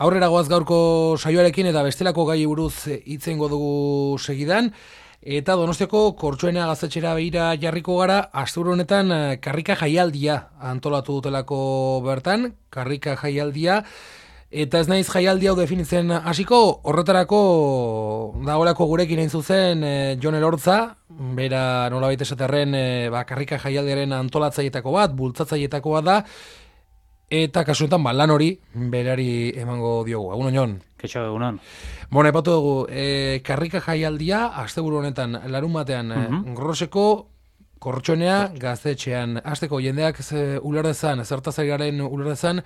Aurrera goaz gaurko saioarekin eta bestelako gai buruz hitz egingo dugu segidan. Eta Donostiako Kortxoenea gaztetxera begira jarriko gara, asteburu honetan karrika jaialdia antolatu dutelako bertan, karrika jaialdia, eta ez naiz jaialdi hau definitzen hasiko, horretarako dagoelako gurekin hain zuzen Jon Elortza, bera nolabait esaterren karrika jaialdiaren antolatzailetako bat, bultzatzailetako bat da, eta kasu honetan lan hori berari emango diogu. Egunon, Jon. Keixo, egunon. Bueno, epatu dugu, karrika jaialdia, asteburu honetan, larun batean, Groseko Kortxoenea gaztetxean. Hasteko jendeak ulerrezan, zertazari garen ulerrezan,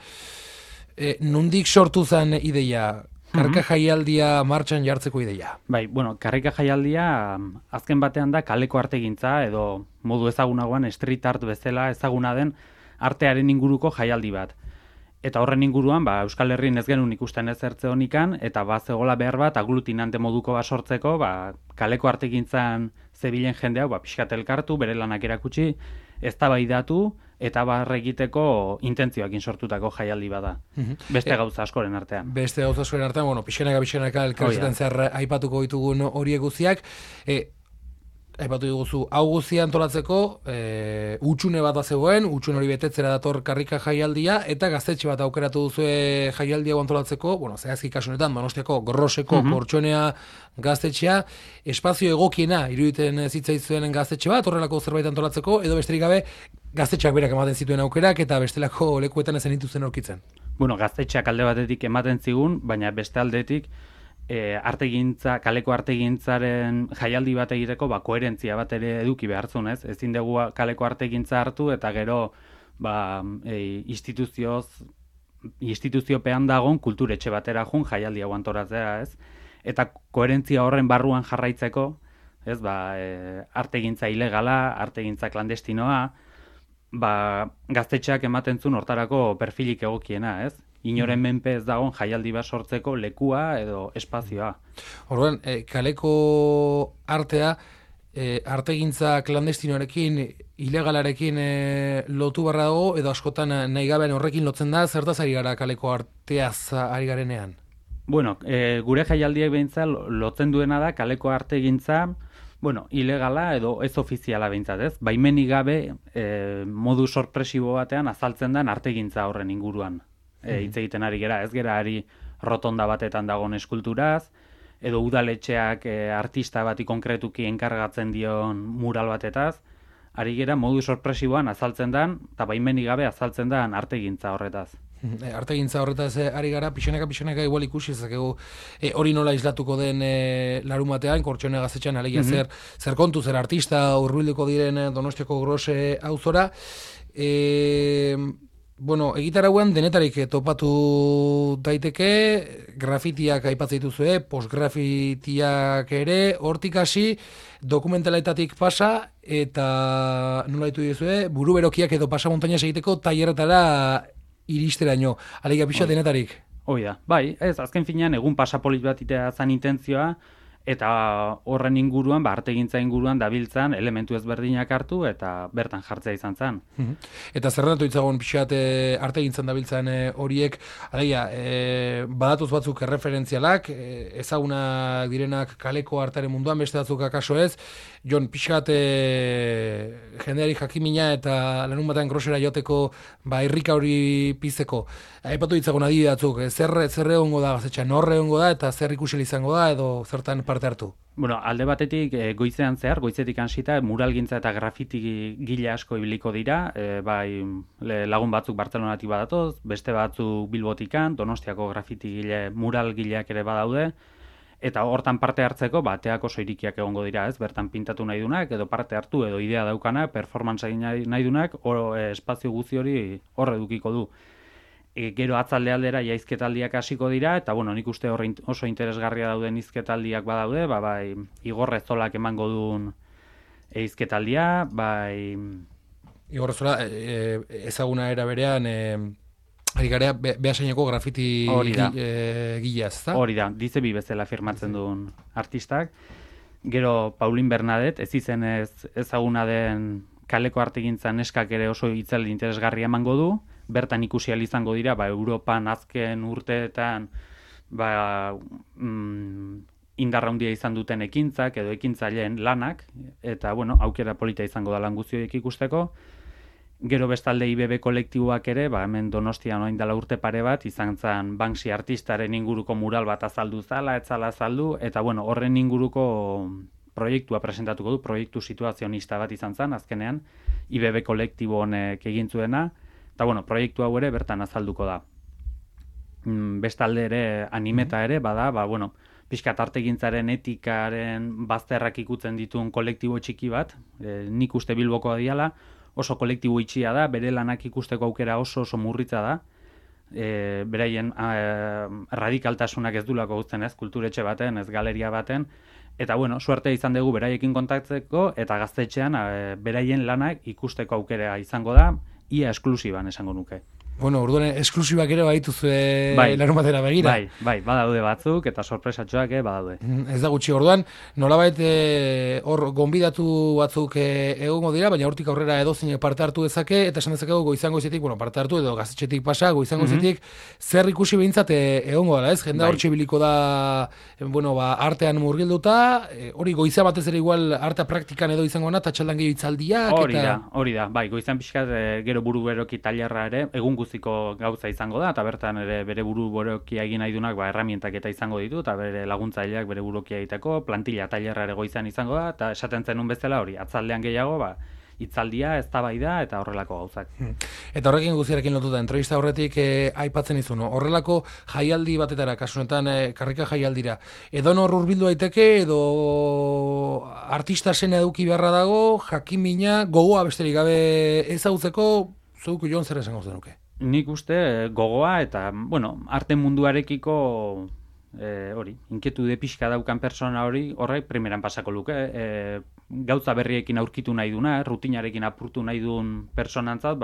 nondik sortu zen ideia, karrika jaialdia martxan jartzeko ideia? Bai, bueno, karrika jaialdia azken batean da kaleko artegintza edo modu ezagunagoan street art bezala ezaguna den artearen inguruko jaialdi bat. Eta horren inguruan, Euskal Herrian ez genuen ikusten ezertze honikan, eta zegoela behar bat aglutinante moduko bat sortzeko, kaleko artegintzan zebilen jendeak, pixkat elkartu, bere lanak erakutsi, eztabaidatu eta egiteko intentzioakin sortutako jaialdi bada. Beste gauza askoren artean. Beste gauza askoren artean, bueno, pixenaka elkarrezetan zer aipatuko ditugun horiek guztiak. Aipatu diguzu, hau guztia antolatzeko, utxune bat zegoen, utxune hori betetzera dator karrika jaialdia, eta gaztetxe bat aukeratu duzue jaialdia antolatzeko, bueno, zehazki kasu honetan, Donostiako Groseko Kortxoenea gaztetxea, espazio egokiena iruditen zitzaizuen gaztetxe bat, horrelako zerbait antolatzeko, edo besterik gabe gaztetxeak berak ematen zituen aukerak, eta bestelako lekuetan ezen dituzten aurkitzen. Bueno, gaztetxeak alde batetik ematen zigun, baina beste aldetik, kaleko artegintzaren jaialdi bat egiteko koherentzia bat ere eduki behartzun, ez? Ezin dugu kaleko artegintza hartu eta gero instituziopean dagoen kulturetxe batera jun jaialdi hau antolatzea, ez? Eta koherentzia horren barruan jarraitzeko, ez? Artegintza ilegala, artegintza klandestinoa, gaztetxeak ematen zuen hortarako perfilik egokiena, ez? Inoren menpe ez dagoen jaialdi bat sortzeko lekua edo espazioa. Orduan, kaleko artea, artegintza klandestinoarekin, ilegalarekin lotu barra dago, edo askotan nahi gabean horrekin lotzen da, zertaz ari gara kaleko arteaz ari garenean? Bueno, gure jaialdiek behintzat lotzen duena da kaleko artegintza, ilegala edo ez ofiziala behintzat, ez? Baimenik gabe modu sorpresibo batean azaltzen den artegintza horren inguruan. Hitz egiten ari gera, ez gera ari rotonda batetan dagoen eskulturaz, edo udaletxeak artista bati konkretuki enkargatzen dion mural batetaz, ari gera modu sorpresiboan azaltzen den, eta baimenik gabe azaltzen den artegintza horretaz. Artegintza horretaz ari gara, pixanaka igual ikusi ezakegu hori nola islatuko den larun batean, Kortxoenea gaztetxean alegia zer kontu, zer artista hurbilduko diren Donostiako Grose auzora. Bueno, egitarauan denetarik topatu daiteke, grafitiak aipatzen dituzue, postgrafitiak ere, hortik hasi, dokumentaletatik pasa, eta nola ditu dizue, buruberokiak edo pasamontainaz egiteko tailerretara iristeraino. Alegia pixa denetarik. Hoi da, bai, ez, azken finean egun pasapolit bat itea zan intentzioa, eta horren inguruan, artegintza inguruan dabiltzan elementu ezberdinak hartu eta bertan jartzea izan zen. Eta zerrendatu itzagon pixat artegintzan dabiltzan horiek, alegia, badatuz batzuk erreferentzialak, ezagunak direnak kaleko artaren munduan, beste batzuk akaso ez, Jon, pixat jendeari jakimina eta lanun batean Grosera joteko irrika hori pizeko. Aipatu ditzagun adibide batzuk, zer egongo da gaztetxean, norre egongo da eta zer ikusel izango da edo zertan parte hartu? Bueno, alde batetik goizean zehar, goizetik hasita muralgintza eta grafiti gile asko ibiliko dira, lagun batzuk Bartzelonatik badatoz, beste batzuk Bilbotikan, Donostiako grafiti mural gileak ere badaude, eta hortan parte hartzeko bateak oso irikiak egongo dira, ez? Bertan pintatu nahi dunak, edo parte hartu, edo idea daukana, performance egin nahi dunak, espazio guzti hori hor edukiko du. Gero atzalde aldera jaizketaldiak hasiko dira, eta nik uste oso interesgarria dauden hizketaldiak badaude, Igor Rezolak emango duen hizketaldia, Igor Rezola, ezaguna era berean, ari garea Beasaineko grafiti gileaz, ezta? Hori da, Dizebi bezala firmatzen duen artistak. Gero Paulin Bernadet, ez izenez ezaguna den kaleko artegintzan neskak ere oso itzaldi interesgarria emango du, bertan ikusi ahal izango dira, Europan azken urteetan indarra handia izan duten ekintzak edo ekintzaileen lanak, eta aukera polita izango da lan guztioek ikusteko. Gero bestalde IBB kolektiboak ere, hemen Donostian orain dela urte pare bat, izan zen Banksy artistaren inguruko mural bat azaldu zala, etzala azaldu, eta horren inguruko proiektua presentatuko du, proiektu situazionista bat izan zen, azkenean, IBB kolektibo honek egin zuena, eta proiektu hau ere bertan azalduko da. Bestalde ere, animeta ere, bada, pixkat artegintzaren etikaren bazterrak ikutzen dituen kolektibo txiki bat, nik uste Bilbokoa diala, oso kolektibo itxia da, bere lanak ikusteko aukera oso murritza da, beraien radikaltasunak ez dulako guzten ez, kulturetxe baten, ez galeria baten, eta suerte izan dugu beraiekin kontaktzeko, eta gaztetxean beraien lanak ikusteko aukera izango da, ia esklusiban esango nuke. Orduan, esklusibak ere badituzue larunbatera begira. Bai, badaude batzuk, eta sorpresatxoak badaude. Ez da gutxi, orduan, nolabait hor gonbidatu batzuk egongo dira, baina hortik aurrera edozein parte hartu dezake, eta esan dezakegu goizango izetik, parte hartu edo gaztetxetik pasa, goizango izetik, zer ikusi behintzat egongo dela, ez? Jendea hor txibiliko da, artean murgilduta, hori goizea batez ere igual artea praktikan edo izango na, eta txaldan gehiago itzaldiak. Hori da, bai, goizan pixkat gero buru beroki tailerra ere, egun guztiko gauza izango da, eta bertan ere bere buru berokia egin nahi dunak herramientak eta izango ditu, eta bere laguntzaileak bere burukia egiteko, plantilla tailerra ere goizan izango da, eta esaten zenun bezala hori, atzaldean gehiago, hitzaldia, eztabaida eta horrelako gauzak. Eta horrekin guztiarekin lotuta, entrevista horretik aipatzen izun, horrelako jaialdi batetara, kasunetan karrika jaialdira, edo nor hurbildu daiteke, edo artista zena eduki beharra dago, jakimina, gogoa besterik gabe ezagutzeko, zuk Jon zer esango zenuke? Nik uste gogoa eta, arte munduarekiko inkietude pixka daukan persona horrek primeran pasako luke. Gauza berriekin aurkitu nahi duna, rutinarekin apurtu nahi duen personantzat,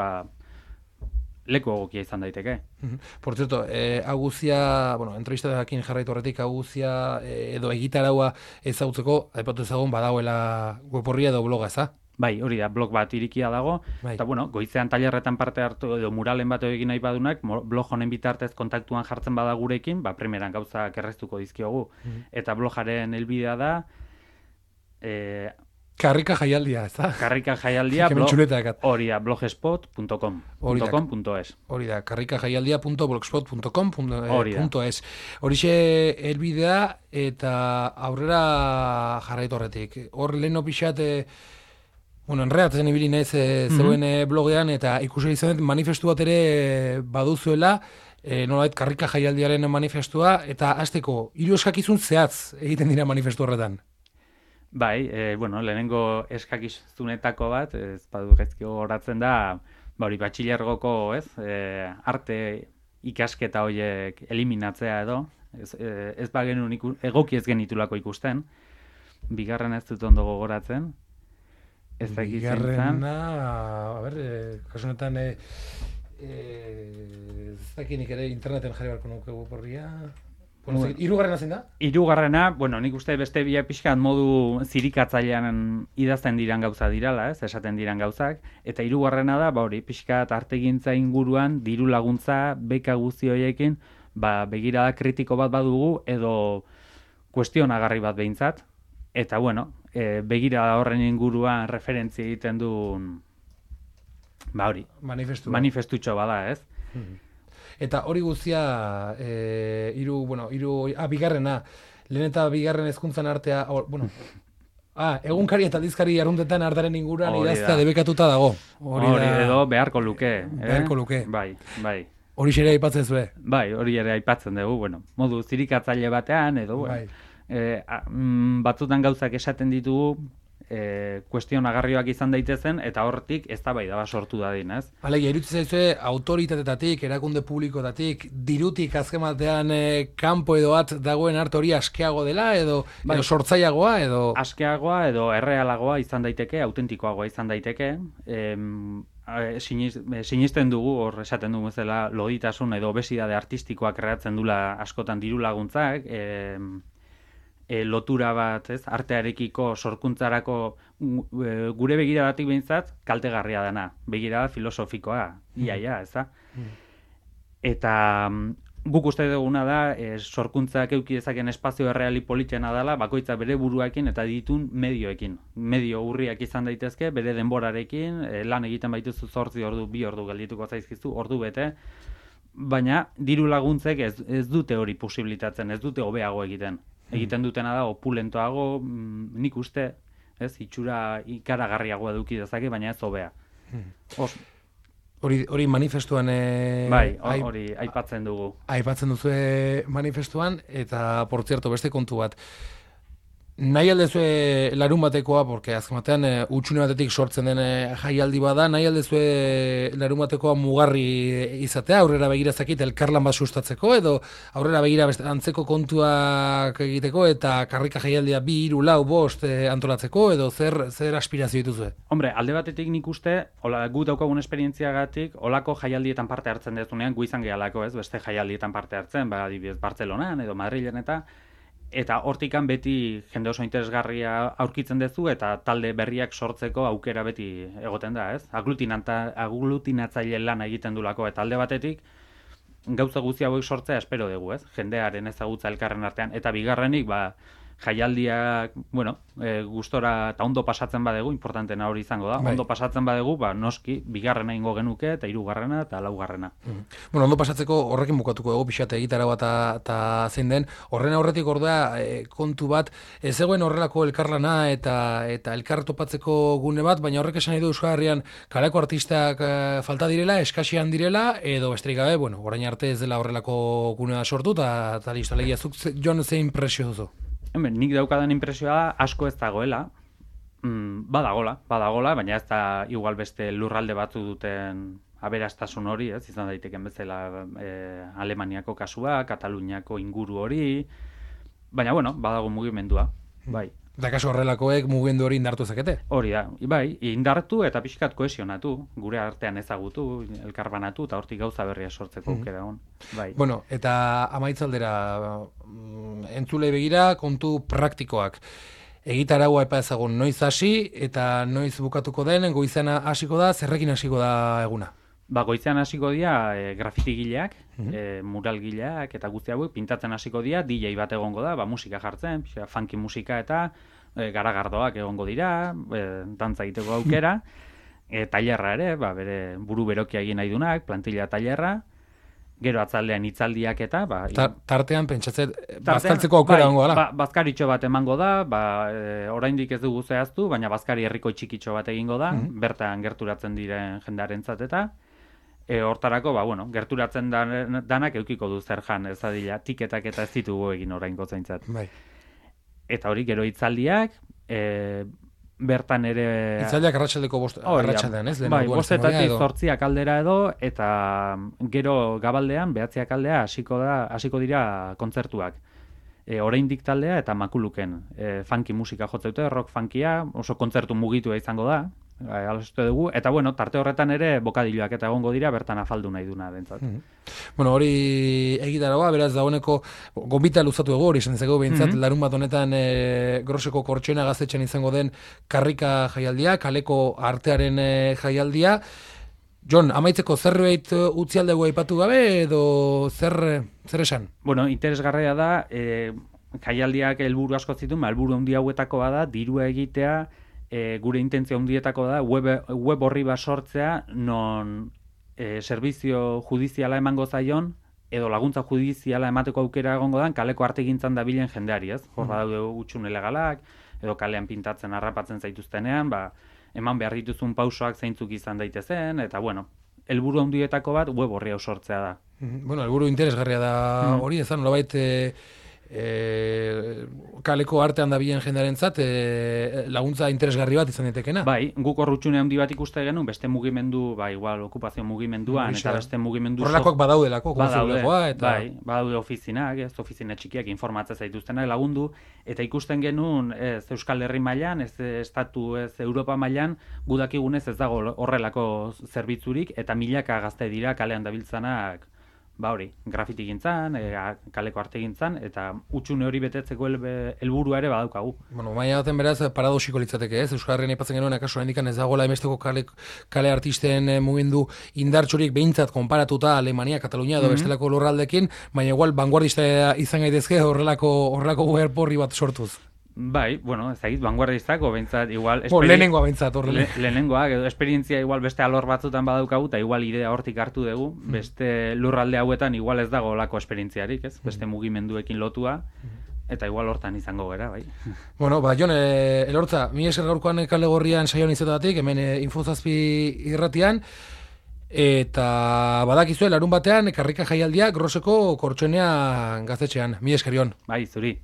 leku egokia izan daiteke. Por cierto, aguzia, entrevistadakin jarraitu horretik, aguzia edo egitaraua ezagutzeko, aipatu ezagun badagoela web-orria edo bloga, eza? Bai, hori da, blog bat irikia dago, eta goizean tailerretan parte hartu edo muralen bat egin nahi badunak, blog honen bitartez kontaktuan jartzen bada gurekin, primeran gauzak erreztuko dizkiogu. Eta blogaren helbidea da... Karrika jaialdia, ez da? Karrika jaialdia, hori da, blogspot.com. Hori da, karrikajaialdia.blogspot.com.es. Horixe helbidea eta aurrera jarraitu horretik. Hor lehen pixat... enreatzen ibili naiz zeuen blogean, eta ikusi izan manifestu bat ere baduzuela, nolabait karrika jaialdiaren manifestua, eta hasteko hiru eskakizun zehatz egiten dira manifestu horretan. Bai, lehenengo eskakizunetako bat, ez badu gaizki gogoratzen da, batxilergoko, arte ikasketa horiek eliminatzea edo, ez bagenun egoki ez genitulako ikusten, bigarren ez dut ondo gogoratzen, Bigarrena, kasunetan ez dakinik ere interneten jarri barko nuke guporria. Hirugarrena zein da? Hirugarrena, nik uste beste bia pixkat modu zirikatzailean idazten diran gauza dirala, esaten diran gauzak, eta hirugarrena da, pixkat artegintza inguruan, diru laguntza, beka guzti horiekin, begirada kritiko bat badugu, edo kuestionagarri bat behintzat, eta begirada horren inguruan referentzia egiten duen manifestutxo bada, ez? Eta hori guztia bigarrena, lehen eta bigarren hezkuntzan artea, egunkari eta aldizkari arruntetan artaren inguruan idaztea debekatuta dago. Hori edo beharko luke. Beharko luke. Bai. Hori ere aipatzen zuen. Bai, hori ere aipatzen dugu, modu zirikatzaile batean, edo, batzutan gauzak esaten ditugu, kuestionagarrioak izan daitezen, eta hortik eztabaida bat sortu dadin, ez? Alegia, iruditzen zaizue autoritatetatik, erakunde publikotatik, dirutik azken batean kanpo edo bat dagoen arte hori askeago dela, edo sortzaiagoa, edo... Askeagoa, edo errealagoa izan daiteke, autentikoagoa izan daiteke, sinisten dugu, hor esaten dugu bezala, loditasun edo obesidade artistikoak kreatzen dula askotan diru laguntzak, lotura bat, ez, artearekiko sorkuntzarako gure begiradatik behintzat kaltegarria dana, begirada filosofikoa, iaia, ez da? Eta guk uste duguna da, sorkuntzak euki dezaken espazio erreali politxena dela, bakoitza bere buruakin eta ditun medioekin. Medio urriak izan daitezke, bere denborarekin, lan egiten baituzu 8 ordu, 2 ordu geldituko zaizkizu, ordu bete, baina diru laguntzek ez dute hori posibilitatzen, ez dute hobeago egiten. Egiten dutena da opulentoago, nik uste, ez, itxura ikaragarriagoa eduki dezake, baina ez hobea. Hori manifestuan... Bai, hori aipatzen dugu. Aipatzen duzu manifestuan, eta, por cierto, beste kontu bat. Nahi aldezue larun batekoa, porque azken batean utxune batetik sortzen den jaialdi bada, nahi aldezue larun batekoa mugarri izatea, aurrera begira zakit elkarlan bat sustatzeko, edo aurrera begira antzeko kontuak egiteko, eta karrika jaialdia 2, 3, 4, 5 antolatzeko, edo zer aspirazio dituzue? Hombre, alde batetik nik uste, gu daukagun esperientziagatik, olako jaialdietan parte hartzen dezunean, gu izan gehalako, ez, beste jaialdietan parte hartzen, adibidez Bartzelonan edo Madrilen eta hortikan beti jende oso interesgarria aurkitzen duzu eta talde berriak sortzeko aukera beti egoten da, ez? Aglutinatzaile lana egiten dulako eta alde batetik gauza guzti hauek sortzea espero dugu, ez? Jendearen ezagutza elkarren artean eta bigarrenik jaialdiak, gustora eta ondo pasatzen badegu, importantena hori izango da. Ondo pasatzen badegu, noski, bigarrena ingo genuke eta 3. eta 4. Bueno, ondo pasatzeko horrekin bukatuko dugu pixate egitara bat eta zein den. Horren aurretik ordea kontu bat, ez zegoen horrelako elkarlana eta elkar topatzeko gune bat, baina horrek esan nahi du Euskal Herrian kaleko artistak falta direla, eskasian direla, edo besterik gabe, orain arte ez dela horrelako gunea sortu, eta listo, legia, zuk Jon ze impresio duzu? Nik daukadan impresioa asko ez dagoela, badagola, baina ez da igual beste lurralde batzu duten aberastasun hori, ez izan daiteken bezala Alemaniako kasua, Kataluniako inguru hori, baina badago mugimendua, bai. Da kasu horrelakoek mugimendu hori indartu zakete? Hori da, bai, indartu eta pixkat kohesionatu, gure artean ezagutu, elkarbanatu eta hortik gauza berria sortzeko aukera hon. Bai. Bueno, eta amaitzaldera entzule begira kontu praktikoak. Egitaragua epa ezagun noiz hasi eta noiz bukatuko den, goizena hasiko da, zerrekin hasiko da eguna? Goizean hasiko dira grafitigileak, muralgileak eta guzti hauek pintatzen hasiko dira, DJ bat egongo da, musika jartzen, funky musika eta garagardoak egongo dira, dantza egiteko aukera, tailerra ere, bere buru berokia egin nahi dunak, plantilla tailerra, gero atzaldean hitzaldiak eta... Tartean pentsatzen, bazkaltzeko aukera egongo da? Bazkaritxo bat emango da, oraindik ez dugu zehaztu, baina bazkari herriko txikitxo bat egingo da, bertan gerturatzen diren jendarentzat eta... Hortarako, gerturatzen danak eukiko du zer jan, ez adila, tiketak eta ez ditugu egin oraingo zaintzat. Bai. Eta hori, gero hitzaldiak, bertan ere... Hitzaldiak arratsaldeko arratsaldean, ez? Bai, 7:00 8:00 aldera edo, eta gero gabaldean, 9:00 aldea hasiko dira kontzertuak. Oraindik taldea eta makuluken. Funky musika jotzeute, rock funkia, oso kontzertu mugitua izango da. Alaste dugu, eta tarte horretan ere bokadilloak eta egongo dira bertan afaldu nahi duna bentsat. Hori egitaragoa, beraz dagoeneko gonbita luzatu ego hori esan dezakegu behintzat, larun bat honetan Groseko Kortxoena Gaztetxean izango den karrika jaialdia, kaleko artearen jaialdia. Jon, amaitzeko zerbait utzialdegu aipatu gabe edo zer esan? Interesgarria da, jaialdiak helburu asko zituen, helburu handi hauetako bada, dirua egitea, gure intentzio handietako da web horri bat sortzea non servizio judiziala emango zaion edo laguntza judiziala emateko aukera egongo dan kaleko artegintzan dabilen jendeari, ez? Hor badaude hutsune legalak edo kalean pintatzen harrapatzen zaituztenean, eman behar dituzun pausoak zeintzuk izan daitezen eta helburu handietako bat web horri hau sortzea da. Helburu interesgarria da hori, ezan nolabait kaleko artean dabilen jendearentzat laguntza interesgarri bat izan daitekena. Bai, guk horrutxune handi bat ikuste genuen, beste mugimendu, igual okupazio mugimenduan eta beste mugimendu horrelakoak badaudelako, badaude ofizinak, ez ofizina txikiak informatzen zaituztenak lagundu eta ikusten genuen ez Euskal Herri mailan, ez estatu, ez Europa mailan, gudakigunez ez dago horrelako zerbitzurik eta milaka gazte dira kalean dabiltzanak hori, grafiti gintzan, kaleko arte gintzan, eta utxune hori betetzeko helburua ere badaukagu. Bueno, maila baten beraz, paradoxiko litzateke, ez? Euskal Herrian aipatzen genuen, akaso hendikan ez dagoela emesteko kale artisten mugimendu indartxorik behintzat konparatuta Alemania, Katalunia edo bestelako lurraldekin, baina igual vanguardista izan gaitezke horrelako guerporri bat sortuz. Bai, bueno, ez dakit, vanguardistak, behintzat, igual... Lehenengoa behintzat, horrela. Lehenengoa, edo esperientzia igual beste alor batzutan badaukagu, eta igual idea hortik hartu dugu, beste lurralde hauetan igual ez dago olako esperientziarik, ez? Beste mugimenduekin lotua, eta igual hortan izango gera, bai. Bueno, Jon, Elortza, mi esker gaurkoan kale gorrian saioan izatetatik, hemen Infozazpi irratian, eta badakizue larun batean karrika jaialdia Groseko Kortxoenea gaztetxean. Mi esker, Jon. Bai, zuri.